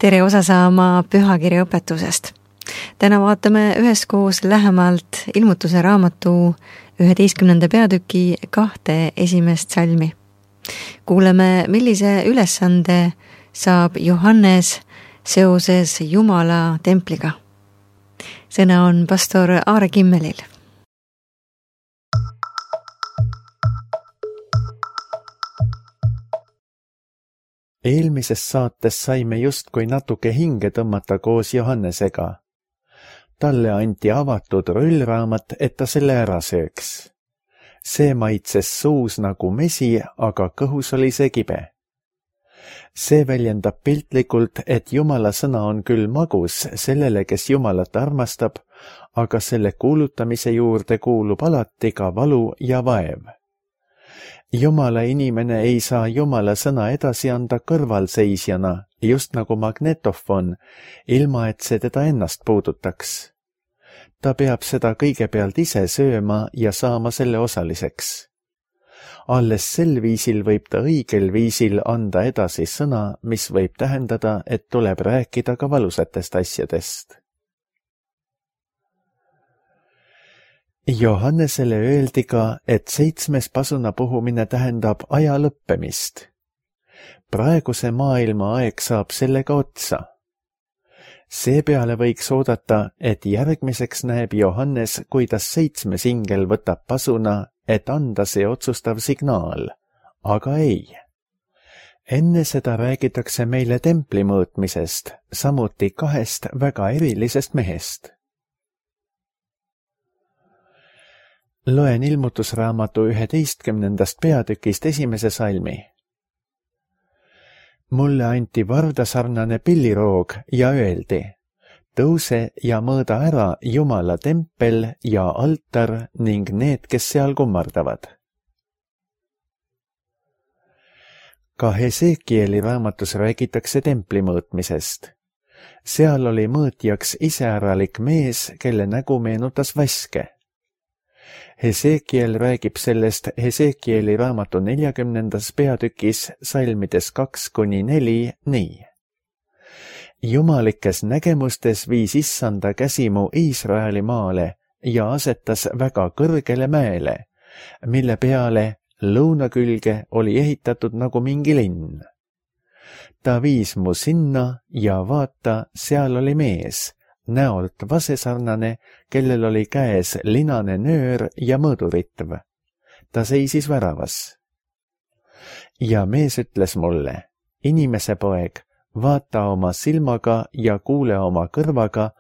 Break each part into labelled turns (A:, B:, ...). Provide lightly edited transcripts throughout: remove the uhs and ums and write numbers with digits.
A: tere osa saama pühakirja õpetusest. Täna vaatame üheskoos lähemalt Ilmutuse raamatu 11. peatüki 2 esimest salmi. Kuuleme, millise ülesande saab Johannes seoses Jumala templiga. Sõna on pastor Aare Kimmelil.
B: Eelmises saates saime justkui natuke hinge tõmmata koos Johannesega. Talle anti avatud rullraamat, et ta selle ära sööks. See maitses suus nagu mesi, aga kõhus oli see kibe. See väljendab piltlikult, et Jumala sõna on küll magus sellele, kes Jumalat armastab, aga selle kuulutamise juurde kuulub alati ka valu ja vaev. Jumala inimene ei saa Jumala sõna edasi anda kõrvalseisjana, just nagu magnetofon, ilma et see teda ennast puudutaks. Ta peab seda kõigepealt ise sööma ja saama selle osaliseks. Alles sel viisil võib ta õigel viisil anda edasi sõna, mis võib tähendada, et tuleb rääkida ka valusatest asjadest. Johannesele öeldi ka, et 7. pasuna puhumine tähendab aja lõppemist. Praeguse maailma aeg saab sellega otsa. Seepeale võiks oodata, et järgmiseks näeb Johannes, kuidas 7. ingel võtab pasuna, et anda see otsustav signaal. Aga ei. Enne seda räägitakse meile templi mõõtmisest, samuti 2 väga erilisest mehest. Loen Ilmutusraamatu 11. peatükist 1. salmi. Mulle anti vardasarnane pilliroog ja öeldi, tõuse ja mõõda ära Jumala tempel ja altar ning need, kes seal kummardavad. Ka Hesekieli raamatus räägitakse templi mõõtmisest. Seal oli mõõtjaks iseäralik mees, kelle nägu meenutas vaske. Hesekiel räägib sellest Hesekieli raamatu 40. peatükis salmides 2-4 nii. Jumalikes nägemustes viis Issanda käsimu Iisraeli maale ja asetas väga kõrgele mäele, mille peale lõunakülge oli ehitatud nagu mingi linn. Ta viis mu sinna ja vaata, seal oli mees, näolt vasesarnane, kellel oli käes linane nöör ja mõõduritv. Ta seisis väravas. Ja mees ütles mulle, inimese poeg, vaata oma silmaga ja kuule oma kõrvaga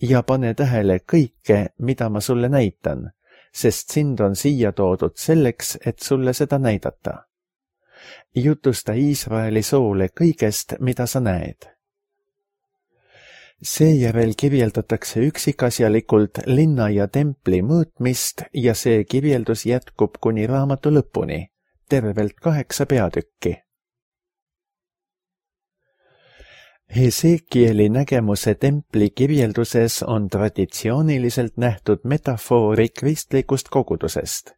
B: ja pane tähele kõike, mida ma sulle näitan, sest sind on siia toodud selleks, et sulle seda näidata. Jutusta Iisraeli soole kõigest, mida sa näed. Seejärel kirjeldatakse üksikasjalikult linna ja templi mõõtmist ja see kirjeldus jätkub kuni raamatu lõpuni, tervelt 8 peatükki. Hesekieli nägemuse templi kirjelduses on traditsiooniliselt nähtud metafoori kristlikust kogudusest.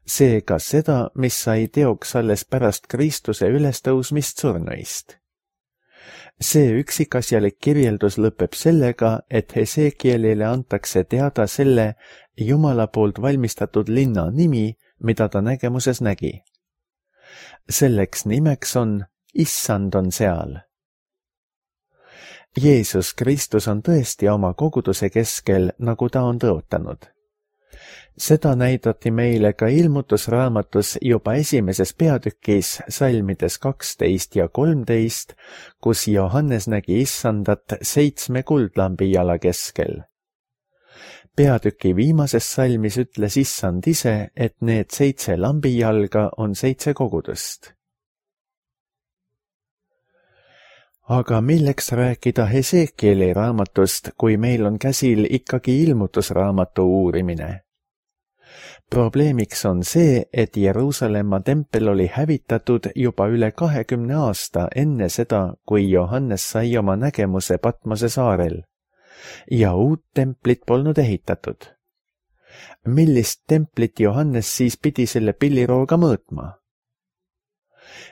B: Seega seda, mis sai teoks alles pärast Kristuse ülestõusmist surnuist. See üksikasjalik kirjeldus lõpeb sellega, et Hesekielile antakse teada selle Jumala poolt valmistatud linna nimi, mida ta nägemuses nägi. Selleks nimeks on Issand on seal. Jeesus Kristus on tõesti oma koguduse keskel, nagu ta on tõotanud. Seda näidati meile ka Ilmutusraamatus juba 1. peatükis salmides 12 ja 13, kus Johannes nägi Issandat 7 kuldlambi jala keskel. Peatüki viimases salmis ütles Issand ise, et need 7 lambijalga on 7 kogudust. Aga milleks rääkida Hesekieli raamatust, kui meil on käsil ikkagi Ilmutusraamatu uurimine? Probleemiks on see, et Jeruusalemma tempel oli hävitatud juba üle 20 aasta enne seda, kui Johannes sai oma nägemuse Patmose saarel. Ja uut templit polnud ehitatud. Millist templit Johannes siis pidi selle pillirooga mõõtma?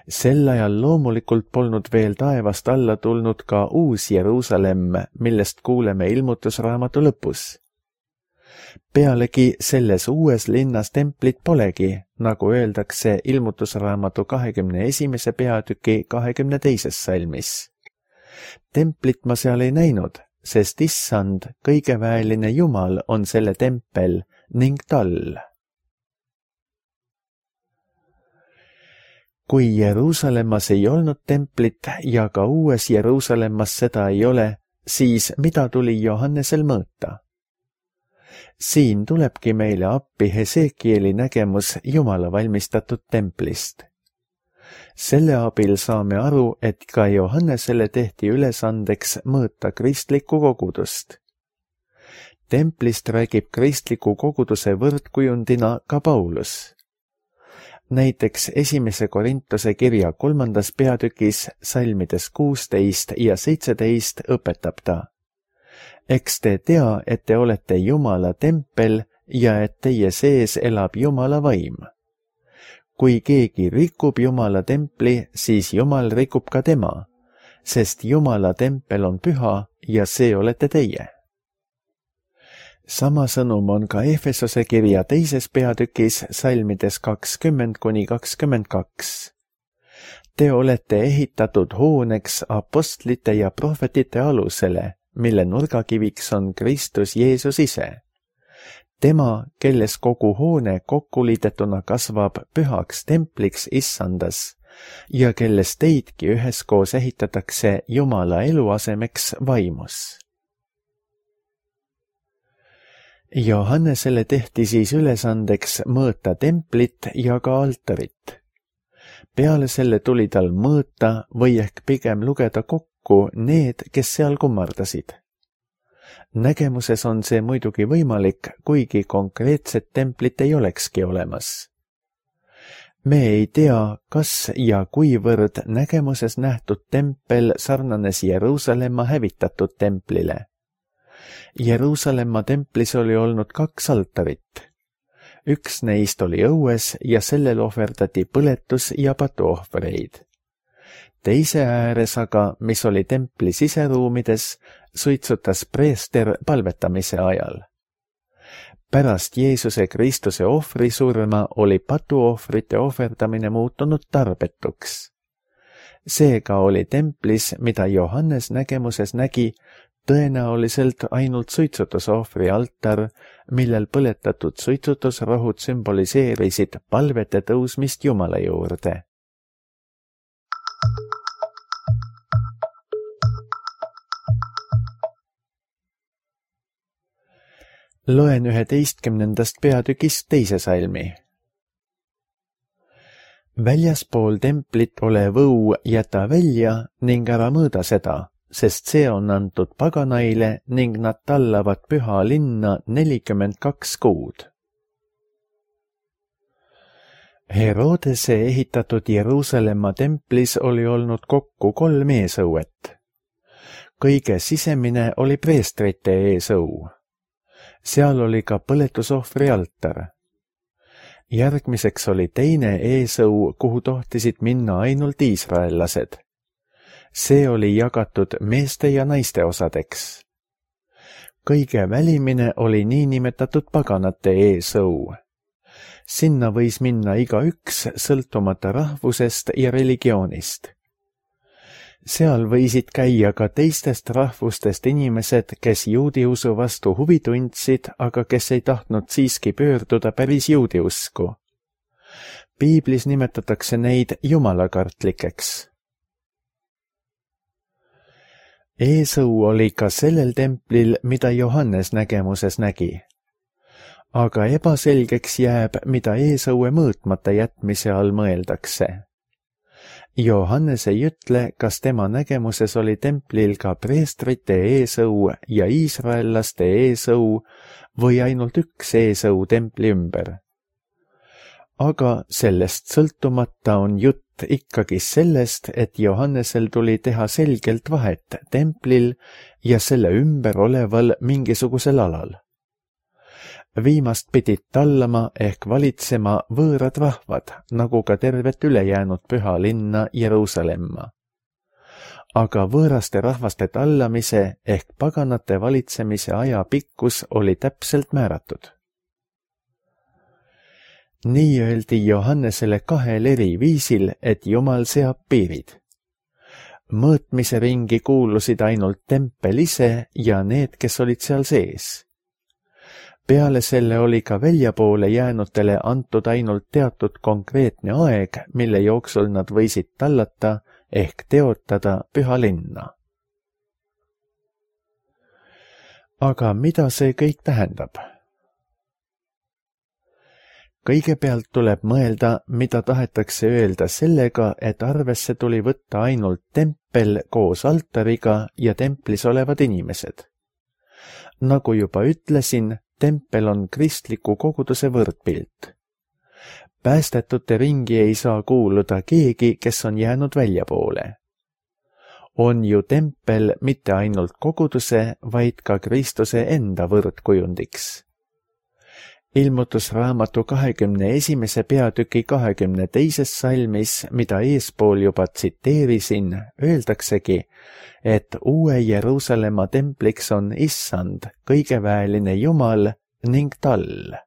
B: Sel ajal loomulikult polnud veel taevast alla tulnud ka uus Jeruusalemm, millest kuuleme ilmutusraamatu lõpus. Pealegi selles uues linnas templit polegi, nagu öeldakse ilmutusraamatu 21. peatüki 22. salmis. Templit ma seal ei näinud, sest issand, kõigeväeline Jumal on selle tempel ning tall. Kui Jeruusalemmas ei olnud templit ja ka uues Jeruusalemmas seda ei ole, siis mida tuli Johannesel mõõta? Siin tulebki meile appi Hesekieli nägemus Jumala valmistatud templist. Selle abil saame aru, et ka Johannesele tehti ülesandeks mõõta kristlikku kogudust. Templist räägib kristliku koguduse võrdkujundina ka Paulus. Näiteks 1. Korintuse kirja 3. peatükis salmides 16 ja 17 õpetab ta. Eks te tea, et te olete Jumala tempel ja et teie sees elab Jumala vaim. Kui keegi rikub Jumala templi, siis Jumal rikub ka tema, sest Jumala tempel on püha ja see olete teie. Sama sõnum on ka Efesose kirja 2. peatükis salmides 20–22. Te olete ehitatud hooneks apostlite ja prohvetite alusele, mille nurgakiviks on Kristus Jeesus ise. Tema, kelles kogu hoone kokkuliidetuna kasvab pühaks templiks issandas ja kelles teidki üheskoos ehitatakse Jumala eluasemeks vaimus. Johannesele tehti siis ülesandeks mõõta templit ja ka altarit. Peale selle tuli tal mõõta või ehk pigem lugeda kokku need, kes seal kummardasid. Nägemuses on see muidugi võimalik, kuigi konkreetset templit ei olekski olemas. Me ei tea, kas ja kuivõrd nägemuses nähtud tempel sarnanes Jeruusalemma hävitatud templile. Jeruusalemma templis oli olnud 2 altarit. Üks neist oli õues ja sellel ohverdati põletus- ja patuohvreid. Teise ääres aga, mis oli templi siseruumides, suitsutas preester palvetamise ajal. Pärast Jeesuse Kristuse ohvrisurma oli patuohvrite ohverdamine muutunud tarbetuks. Seega oli templis, mida Johannes nägemuses nägi, tõenäoliselt ainult suitsutusohvri altar, millel põletatud suitsutusrohud sümboliseerisid palvete tõusmist Jumala juurde. Loen 11. peatükist 2. salmi. Väljaspool templit olev õu jäta välja ning ära mõõda seda, sest see on antud paganaile ning nad tallavad püha linna 42 kuud. Herodese ehitatud Jeruusalemma templis oli olnud kokku 3 eesõuet. Kõige sisemine oli preestrite eesõu. Seal oli ka põletusohvri altar. Järgmiseks oli teine eesõu, kuhu tohtisid minna ainult iisraellased. See oli jagatud meeste ja naiste osadeks. Kõige välimine oli niinimetatud paganate eesõu. Sinna võis minna igaüks sõltumata rahvusest ja religioonist. Seal võisid käia ka teistest rahvustest inimesed, kes juudi usu vastu huvi tundsid, aga kes ei tahtnud siiski pöörduda päris juudi usku. Piiblis nimetatakse neid jumalakartlikeks. Eesõu oli ka sellel templil, mida Johannes nägemuses nägi. Aga ebaselgeks jääb, mida eesõue mõõtmata jätmise all mõeldakse. Johannes ei ütle, kas tema nägemuses oli templil ka preestrite eesõu ja iisraellaste eesõu või ainult üks eesõu templi ümber. Aga sellest sõltumata on jutt ikkagi sellest, et Johannesel tuli teha selgelt vahet templil ja selle ümber oleval mingisugusel alal. Viimast pidid tallama ehk valitsema võõrad rahvad, nagu ka tervet ülejäänud püha linna Jeruusalemma. Aga võõraste rahvaste tallamise ehk paganate valitsemise aja pikkus oli täpselt määratud. Nii öeldi Johannesele 2 eri viisil, et Jumal seab piirid. Mõõtmise ringi kuulusid ainult tempel ise ja need, kes olid seal sees. Peale selle oli ka väljapoole jäänutele antud ainult teatud konkreetne aeg, mille jooksul nad võisid tallata ehk teotada püha linna. Aga mida see kõik tähendab? Kõigepealt tuleb mõelda, mida tahetakse öelda sellega, et arvesse tuli võtta ainult tempel koos altariga ja templis olevad inimesed. Nagu juba ütlesin, tempel on kristliku koguduse võrdpilt. Päästetute ringi ei saa kuuluda keegi, kes on jäänud väljapoole. On ju tempel mitte ainult koguduse, vaid ka Kristuse enda võrdkujundiks. Ilmutusraamatu 21. peatüki 22. salmis, mida eespool juba tsiteerisin, öeldaksegi, et uue Jeruusalemma templiks on Issand, kõigeväeline Jumal ning tall.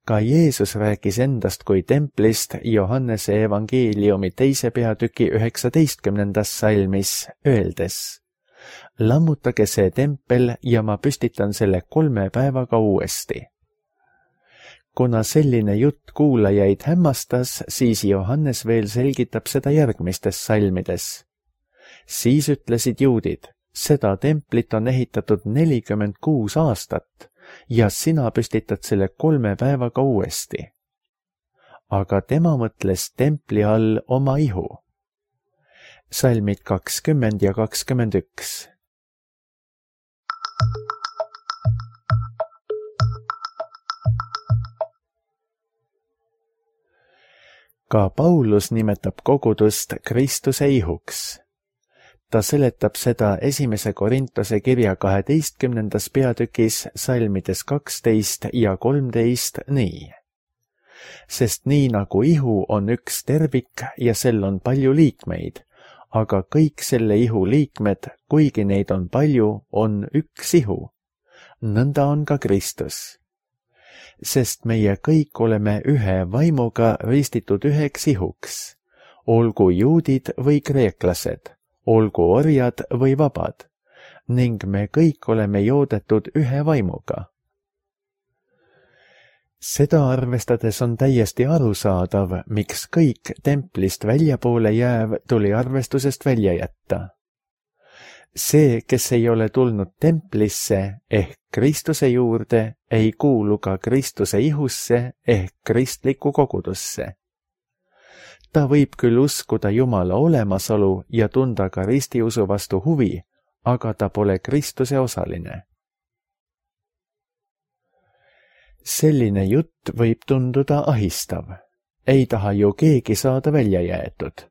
B: Ka Jeesus rääkis endast kui templist Johannese evangeeliumi 2. peatüki 19. salmis, öeldes: lammutage see tempel ja ma püstitan selle 3 päevaga uuesti. Kuna selline jutt kuulajaid hämmastas, siis Johannes veel selgitab seda järgmistes salmides. Siis ütlesid juudid, seda templit on ehitatud 46 aastat ja sina püstitad selle 3 päevaga uuesti. Aga tema mõtles templi all oma ihu. Salmid 20 ja 21. Ka Paulus nimetab kogudust Kristuse ihuks. Ta seletab seda 1. Korintuse kirja 12. peatükis salmides 12 ja 13 nii. Sest nii nagu ihu on üks tervik ja sel on palju liikmeid, aga kõik selle ihu liikmed, kuigi neid on palju, on üks ihu. Nõnda on ka Kristus. Sest meie kõik oleme ühe vaimuga ristitud üheks ihuks, olgu juudid või kreeklased, olgu orjad või vabad, ning me kõik oleme joodetud ühe vaimuga. Seda arvestades on täiesti arusaadav, miks kõik templist väljapoole jääv tuli arvestusest välja jätta. See, kes ei ole tulnud templisse ehk Kristuse juurde, ei kuulu ka Kristuse ihusse ehk kristlikku kogudusse. Ta võib küll uskuda Jumala olemasolu ja tunda ka ristiusu vastu huvi, aga ta pole Kristuse osaline. Selline jutt võib tunduda ahistav. Ei taha ju keegi saada välja jäetud.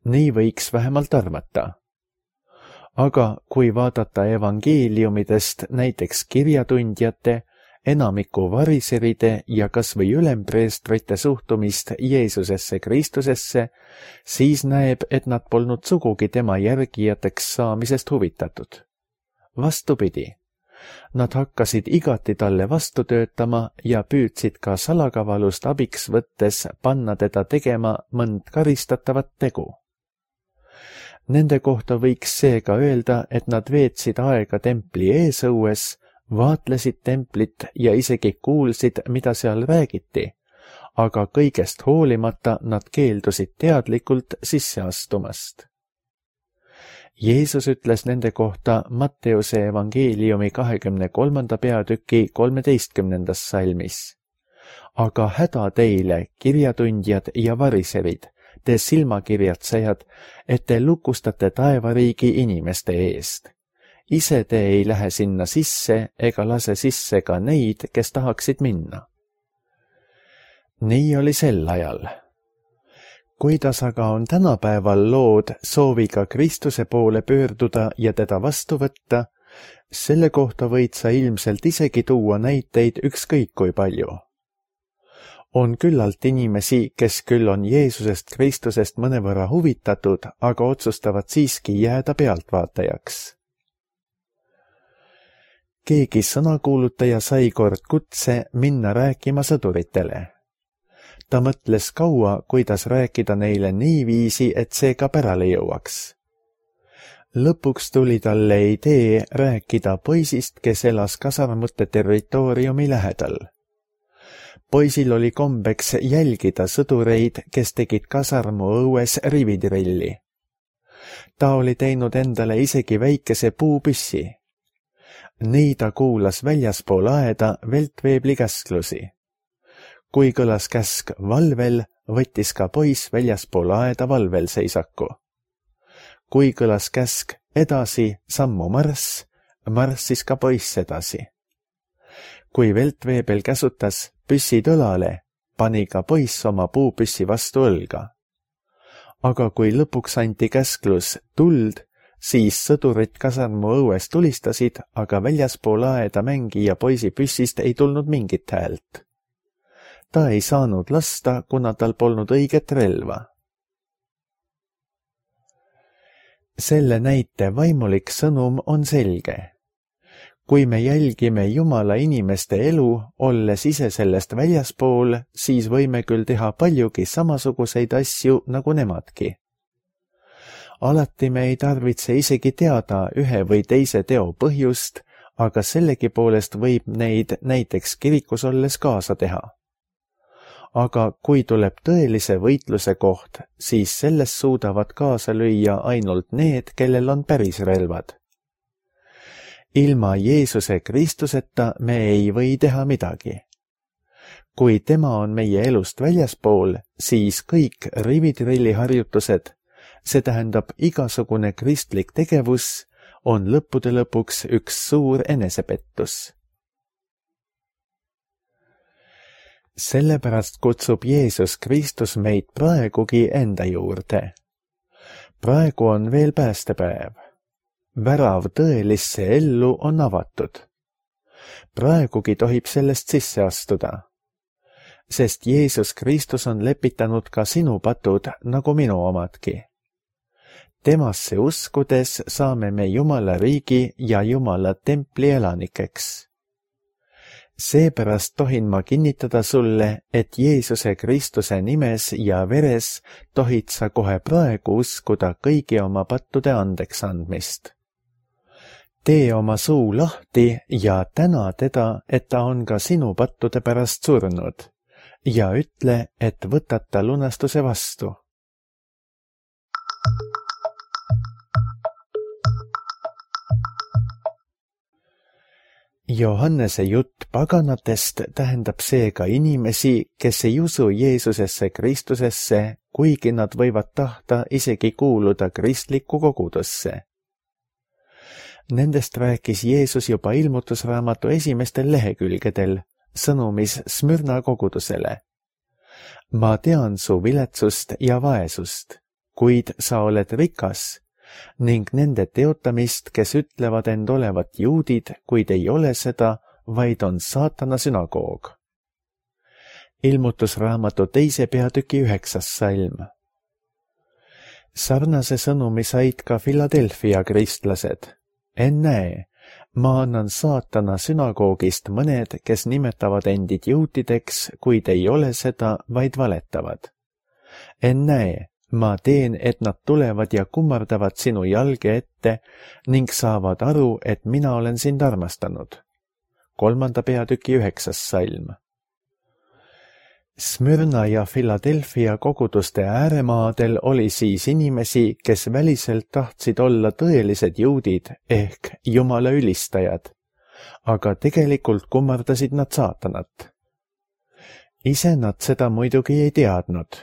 B: Nii võiks vähemalt arvata. Aga kui vaadata evangeeliumidest näiteks kirjatundjate, enamiku variseride ja kas või ülempreestrite suhtumist Jeesusesse Kristusesse, siis näeb, et nad polnud sugugi tema järgijateks saamisest huvitatud. Vastupidi, nad hakkasid igati talle vastu töötama ja püüdsid ka salakavalust abiks võttes panna teda tegema mõnd karistatavat tegu. Nende kohta võiks seega öelda, et nad veetsid aega templi eesõues, vaatlesid templit ja isegi kuulsid, mida seal räägiti, aga kõigest hoolimata nad keeldusid teadlikult sisse astumast. Jeesus ütles nende kohta Matteuse evangeeliumi 23. peatüki 13. salmis. Aga häda teile, kirjatundjad ja variserid, te silmakirjatsejad, et te lukustate taevariigi inimeste eest. Ise te ei lähe sinna sisse ega lase sisse ka neid, kes tahaksid minna. Nii oli sel ajal. Kuidas aga on tänapäeval lood sooviga Kristuse poole pöörduda ja teda vastu võtta, Selle kohta võid sa ilmselt isegi tuua näiteid ükskõik kui palju. On küllalt inimesi, kes küll on Jeesusest Kristusest mõnevõrra huvitatud, aga otsustavad siiski jääda pealtvaatajaks. Keegi sõnakuulutaja sai kord kutse minna rääkima sõduritele. Ta mõtles kaua, kuidas rääkida neile niiviisi, et see ka pärale jõuaks. Lõpuks tuli talle idee rääkida poisist, kes elas kasarmute territooriumi lähedal. Poisil oli kombeks jälgida sõdureid, kes tegid kasarmu õues rivitrilli. Ta oli teinud endale isegi väikese puupüssi. Nii ta kuulas väljaspool aeda veltveebli käsklusi. Kui kõlas käsk valvel, võttis ka poiss väljaspool aeda valvel seisaku. Kui kõlas käsk edasi sammu marss, marssis ka poiss edasi. Kui veltveebel käsutas püssid õlale, pani ka poiss oma puupüssi vastu õlga. Aga kui lõpuks anti käsklus tuld, siis sõdurid kasarmu õues tulistasid, aga väljaspool aeda mängija poisi püssist ei tulnud mingit häält. Ta ei saanud lasta, kuna tal polnud õiget relva. Selle näite vaimulik sõnum on selge. Kui me jälgime Jumala inimeste elu, olles ise sellest väljaspool, siis võime küll teha paljugi samasuguseid asju nagu nemadki. Alati me ei tarvitse isegi teada ühe või teise teo põhjust, aga sellegipoolest võib neid näiteks kirikus olles kaasa teha. Aga kui tuleb tõelise võitluse koht, siis selles suudavad kaasa lüüa ainult need, kellel on päris relvad. Ilma Jeesuse Kristuseta me ei või teha midagi. Kui tema on meie elust väljaspool, siis kõik rivitrilliharjutused, see tähendab igasugune kristlik tegevus, on lõppude lõpuks üks suur enesepettus. Sellepärast kutsub Jeesus Kristus meid praegugi enda juurde. Praegu on veel päästepäev. Värav tõelisse ellu on avatud. Praegugi tohib sellest sisse astuda. Sest Jeesus Kristus on lepitanud ka sinu patud nagu minu omadki. Temasse uskudes saame me Jumala riigi ja Jumala templi elanikeks. Seepärast tohin ma kinnitada sulle, et Jeesuse Kristuse nimes ja veres tohid sa kohe praegu uskuda kõigi oma pattude andeks andmist. Tee oma suu lahti ja täna teda, et ta on ka sinu pattude pärast surnud, ja ütle, et võtad ta lunastuse vastu. Johannese jutt paganatest tähendab seega inimesi, kes ei usu Jeesusesse Kristusesse, kuigi nad võivad tahta isegi kuuluda kristlikku kogudusse. Nendest rääkis Jeesus juba ilmutusraamatu esimestel lehekülgedel, sõnumis Smyrna kogudusele. Ma tean su viletsust ja vaesust, kuid sa oled rikas, ning nende teotamist, kes ütlevad end olevat juudid, kuid ei ole seda, vaid on saatana sünagoog. Ilmutusraamatu 2. peatüki 9. salm. Sarnase sõnumi said ka Philadelphia kristlased. Ennäe, ma annan saatana sünagoogist mõned, kes nimetavad endid juutideks, kuid ei ole seda, vaid valetavad. Ennäe, ma teen, et nad tulevad ja kummardavad sinu jalge ette ning saavad aru, et mina olen sind armastanud. 3. peatüki 9. salm. Smyrna ja Philadelphia koguduste ääremaadel oli siis inimesi, kes väliselt tahtsid olla tõelised juudid ehk Jumala ülistajad, aga tegelikult kummardasid nad saatanat. Ise nad seda muidugi ei teadnud.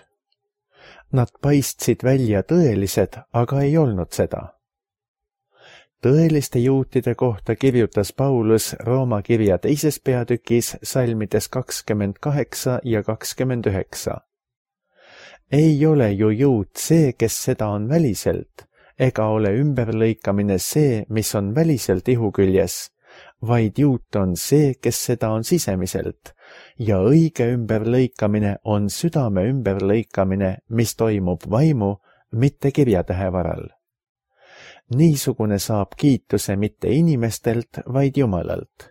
B: Nad paistsid välja tõelised, aga ei olnud seda. Tõeliste juutide kohta kirjutas Paulus Rooma kirja 2. peatükis salmides 28 ja 29. Ei ole ju juut see, kes seda on väliselt, ega ole ümberlõikamine see, mis on väliselt ihu küljes, vaid juut on see, kes seda on sisemiselt, ja õige ümberlõikamine on südame ümberlõikamine, mis toimub vaimu, mitte kirjatähe varal. Niisugune saab kiituse mitte inimestelt, vaid Jumalalt.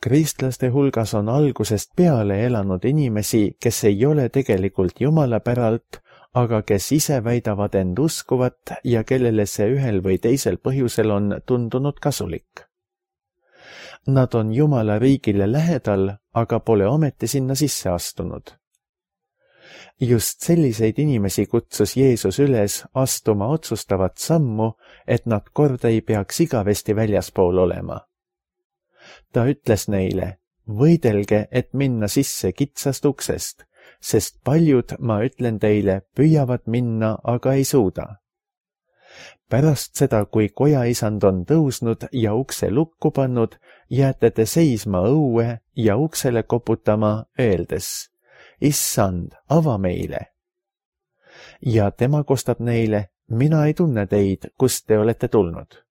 B: Kristlaste hulgas on algusest peale elanud inimesi, kes ei ole tegelikult Jumala päralt, aga kes ise väidavad end uskuvat ja kellele see ühel või teisel põhjusel on tundunud kasulik. Nad on Jumala riigile lähedal, aga pole ometi sinna sisse astunud. Just selliseid inimesi kutsus Jeesus üles astuma otsustavat sammu, et nad kord ei peaks igavesti väljaspool olema. Ta ütles neile, võidelge, et minna sisse kitsast uksest, sest paljud, ma ütlen teile, püüavad minna, aga ei suuda. Pärast seda, kui kojaisand on tõusnud ja ukse lukku pannud, jääte te seisma õue ja uksele koputama, öeldes, Issand, ava meile. Ja tema kostab neile, mina ei tunne teid, kust te olete tulnud.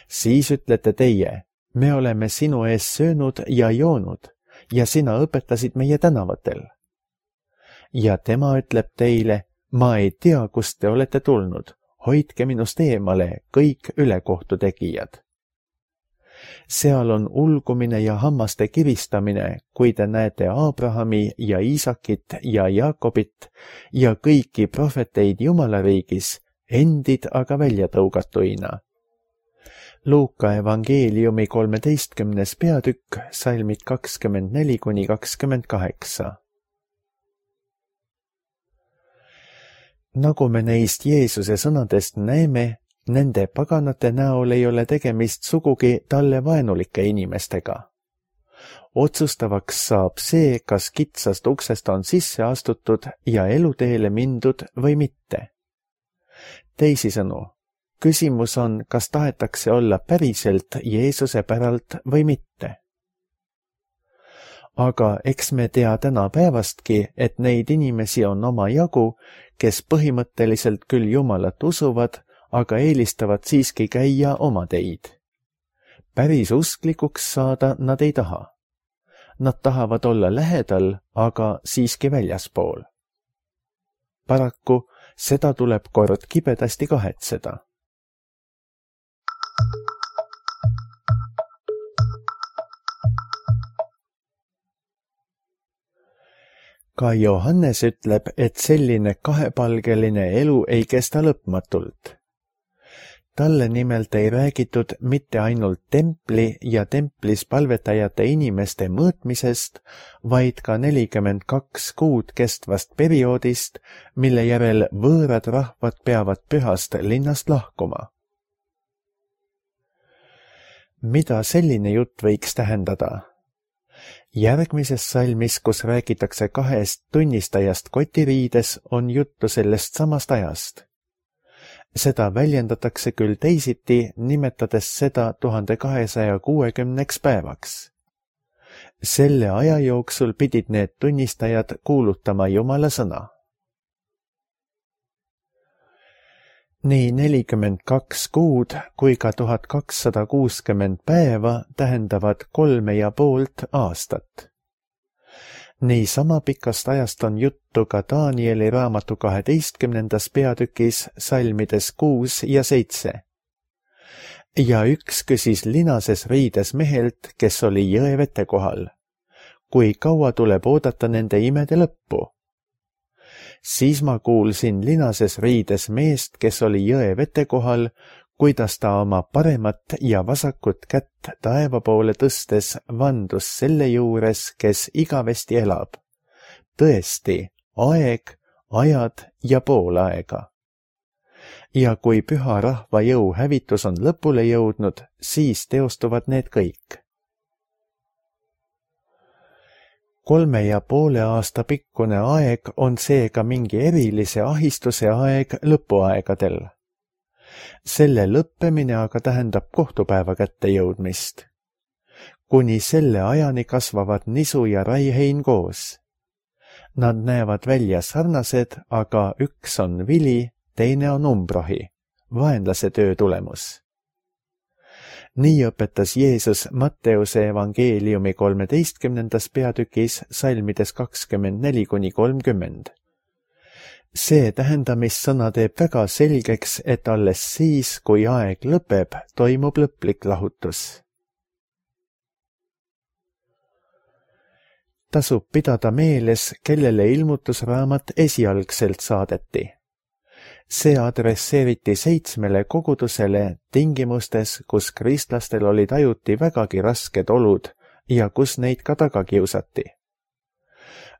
B: Siis ütlete teie, me oleme sinu ees söönud ja joonud ja sina õpetasid meie tänavatel. Ja tema ütleb teile, ma ei tea, kust te olete tulnud, hoidke minust eemale kõik ülekohtu tegijad. Seal on ulgumine ja hammaste kivistamine, kui te näete Abrahami ja Iisakit ja Jaakobit ja kõiki prohveteid Jumala riigis, endid aga välja tõugatuina. Luuka evangeeliumi 13. peatükk, salmid 24–28. Nagu me neist Jeesuse sõnadest näeme, nende paganate näol ei ole tegemist sugugi talle vaenulike inimestega. Otsustavaks saab see, kas kitsast uksest on sisse astutud ja eluteele mindud või mitte. Teisisõnu, küsimus on, kas tahetakse olla päriselt Jeesuse päralt või mitte. Aga eks me tea tänapäevastki, et neid inimesi on omajagu, kes põhimõtteliselt küll Jumalat usuvad, aga eelistavad siiski käia oma teid. Päris usklikuks saada nad ei taha. Nad tahavad olla lähedal, aga siiski väljaspool. Paraku seda tuleb kord kibedasti kahetseda. Ka Johannes ütleb, et selline kahepalgeline elu ei kesta lõpmatult. Talle nimelt ei räägitud mitte ainult templi ja templis palvetajate inimeste mõõtmisest, vaid ka 42 kuud kestvast perioodist, mille järel võõrad rahvad peavad pühast linnast lahkuma. Mida selline jutt võiks tähendada? Järgmises salmis, kus räägitakse 2 tunnistajast kotiriides, on juttu sellest samast ajast. Seda väljendatakse küll teisiti, nimetades seda 1260 päevaks. Selle aja jooksul pidid need tunnistajad kuulutama Jumala sõna. Nii 42 kuud kui ka 1260 päeva tähendavad 3,5 aastat. Nii sama pikast ajast on juttu ka Danieli raamatu 12. peatükis salmides 6 ja 7. Ja üks küsis linases riides mehelt, kes oli jõe vete kohal. Kui kaua tuleb oodata nende imede lõppu? Siis ma kuulsin linases riides meest, kes oli jõe vete kohal, kuidas ta oma paremat ja vasakut kätt taeva poole tõstes vandus selle juures, kes igavesti elab. Tõesti, aeg, ajad ja pool aega. Ja kui püha rahva jõu hävitus on lõpule jõudnud, siis teostuvad need kõik. 3,5 aasta pikkune aeg on seega mingi erilise ahistuse aeg lõpuaegadel. Selle lõppemine aga tähendab kohtupäeva kätte jõudmist. Kuni selle ajani kasvavad nisu ja raihein koos. Nad näevad välja sarnased, aga üks on vili, teine on umbrohi, vaenlase töö tulemus. Nii õpetas Jeesus Matteuse evangeeliumi 13. peatükis salmides 24-30. See tähendamissõna teeb väga selgeks, et alles siis, kui aeg lõpeb, toimub lõplik lahutus. Tasub pidada meeles, kellele ilmutusraamat esialgselt saadeti. See adresseeriti 7 kogudusele tingimustes, kus kristlastel olid ajuti vägagi rasked olud ja kus neid ka taga kiusati.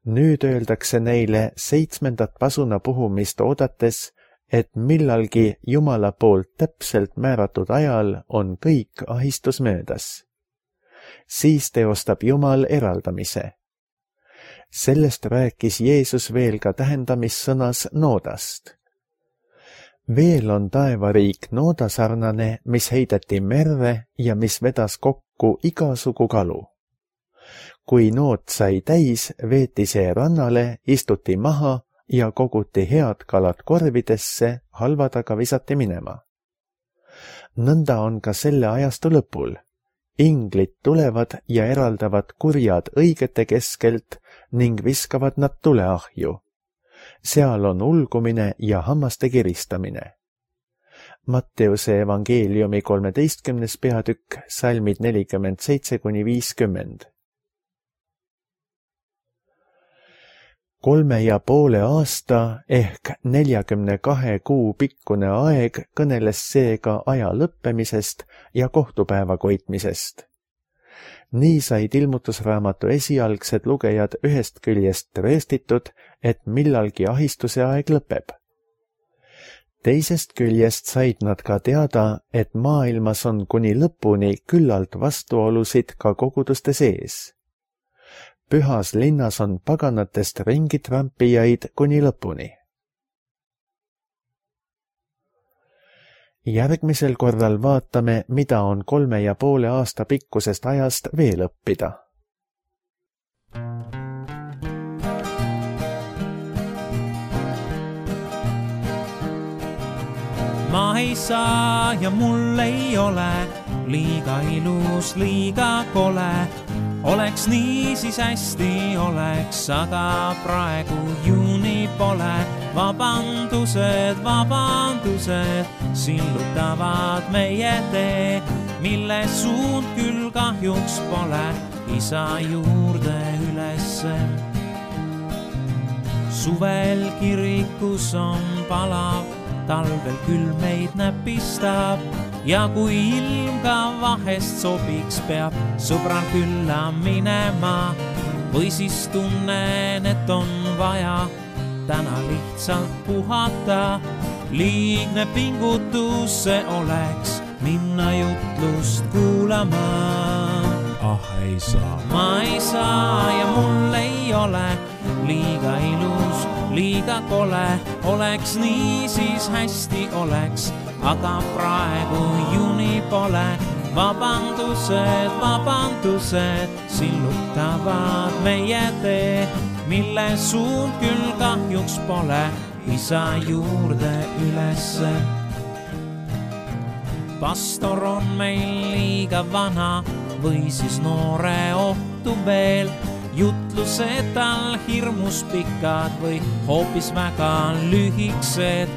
B: Nüüd öeldakse neile 7. pasuna puhumist oodates, et millalgi Jumala poolt täpselt määratud ajal on kõik ahistus möödas. Siis teostab Jumal eraldamise. Sellest rääkis Jeesus veel ka tähendamissõnas noodast. Veel on taevariik noodasarnane, mis heideti merre ja mis vedas kokku igasugu kalu. Kui nood sai täis, veeti see rannale, istuti maha ja koguti head kalad korvidesse, halvad aga visati minema. Nõnda on ka selle ajastu lõpul. Inglid tulevad ja eraldavad kurjad õigete keskelt ning viskavad nad tuleahju. Seal on ulgumine ja hammaste kiristamine. Matteuse evangeeliumi 13. peatükk, salmid 47-50. 3,5 aasta ehk 42 kuu pikkune aeg kõneles seega aja lõppemisest ja kohtupäeva koitmisest. Nii said ilmutusraamatu esialgsed lugejad ühest küljest tõestitud, et millalgi ahistuse aeg lõpeb. Teisest küljest said nad ka teada, et maailmas on kuni lõpuni küllalt vastuolusid ka koguduste sees. Pühas linnas on paganatest ringitrampijaid kuni lõpuni. Järgmisel korral vaatame, mida on 3,5 aasta pikkusest ajast veel õppida.
C: Ma ei saa ja mul ei ole liiga ilus, liiga kole. Oleks nii, siis hästi oleks, aga praegu juuni pole. Vabandused, sillutavad meie tee, mille suund küll kahjuks pole isa juurde ülesse. Suvel kirikus on palav, talvel küll meid näpistab ja kui ilm ka vahest sobiks, peab sõbral külla minema või siis tunnen, et on vaja täna lihtsalt puhata. Liigne pingutus see oleks minna jutlust kuulama. Ei saa. Ma ei saa ja mul ei ole liiga ilus, liiga kole. Oleks nii, siis hästi oleks, aga praegu juuni pole. Vabandused sillutavad meie tee, mille suund küll kahjuks pole isa juurde ülesse. Pastor on meil liiga vana või siis noore ohtu veel. Jutlused tal hirmus pikad või hoopis väga lühiksed.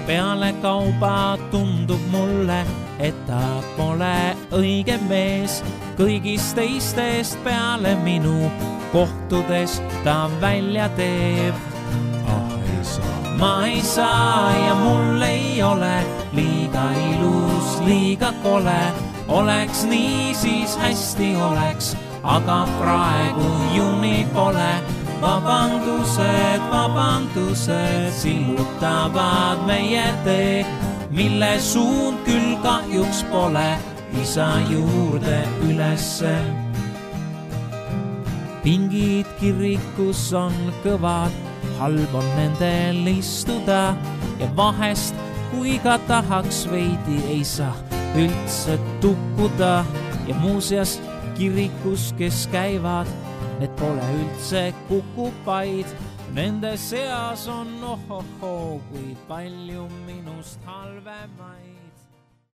C: Peale kauba tundub mulle, et ta pole õige mees. Kõigist teistest peale minu kohtudes ta välja teeb. Ma ei saa ja mul ei ole liiga ilus, liiga kole. Oleks nii, siis hästi oleks, aga praegu juuni pole. Vabandused sillutavad meie tee, mille suund küll kahjuks pole isa juurde ülesse. Pingid kirikus on kõvad, halb on nendel istuda ja vahest, kui ka tahaks veidi, ei saa üldse tukkuda. Ja muuseas kirikus, kes käivad, need pole üldse kukupaid, Nende seas on ohohoo, kuid palju minust halvemaid.